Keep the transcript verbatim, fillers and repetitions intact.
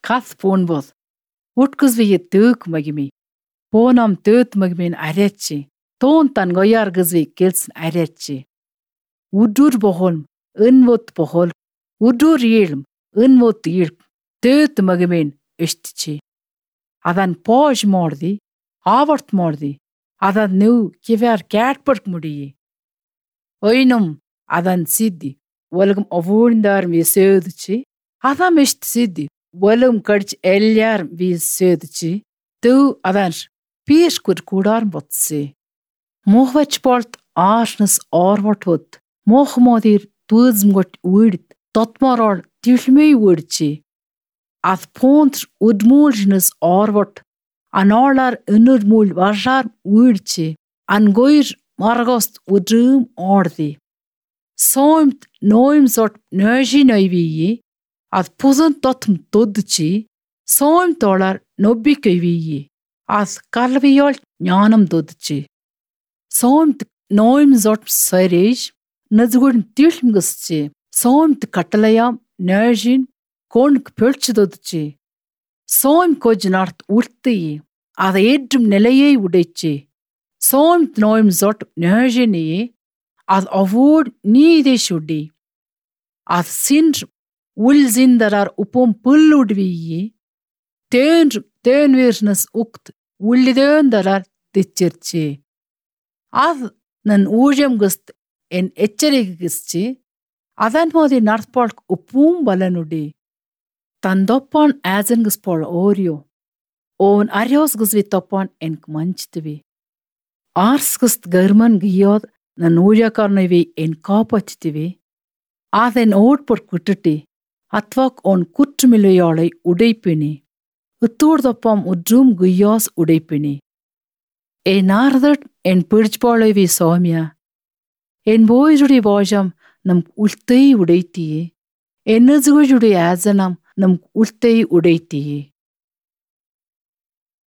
Кас понбоз. Уткызви төөк магими. Понам tööt магимин арячи. Тоонтан гояр гызви келсин арячи. Удур бохолм, ынвот бохол. Удур елм, ынвот елп. tööt магимин эштичи. Адан пож морди, аварт морди. Адан нүү кивер кертберг муди. Ойнум адан сиди. Walgum ovundar vi södchi. Adam est sidi. Walum karch elyar vi södchi. Tu adan pies kur kudar botse. Mohvach bolt arsnes orvot. Mohmodir tuzmgot uid. Totmarol tilmei udchi. Ath pont udmulsnes orvot. Anolar unurmul varjar udchi. Angoir margost udrum ordi. Soimt noim sort nöji nöivi, ad puzun totm dodchi, soimt olar nobbi köivi, ad kalviol nyanam dodchi. Soimt noim sort serej, nazgun tilmguschi, soimt katalayam nöjin, konk pölch dodchi. Soim kojnart urti, ad edrum nelaye udechi. Soimt noim sort nöjini, ad avod nide shudi. Ad sindr ulzindarar upom pulludvi. Tönr tönvirsnes ukt ullidöndarar ditcherchi. Ad nan ujam gust en etcherigistchi. Adan modi narthpolk upum balanudi. Tandoppan azenguspol orio. On arios gusvi toppan en kmanchtvi. Arsgust german giyod na nuja karnevi en kapachtivi. Aden oot por kutati. Atvak on kuttumiluyalai udaipini. Utturdopam udrum guyas udaipini. E nardat en purchpalavi somya. En boyjudi vajam nam ultai udaiti. En nazgujudi azanam nam ultai udaiti.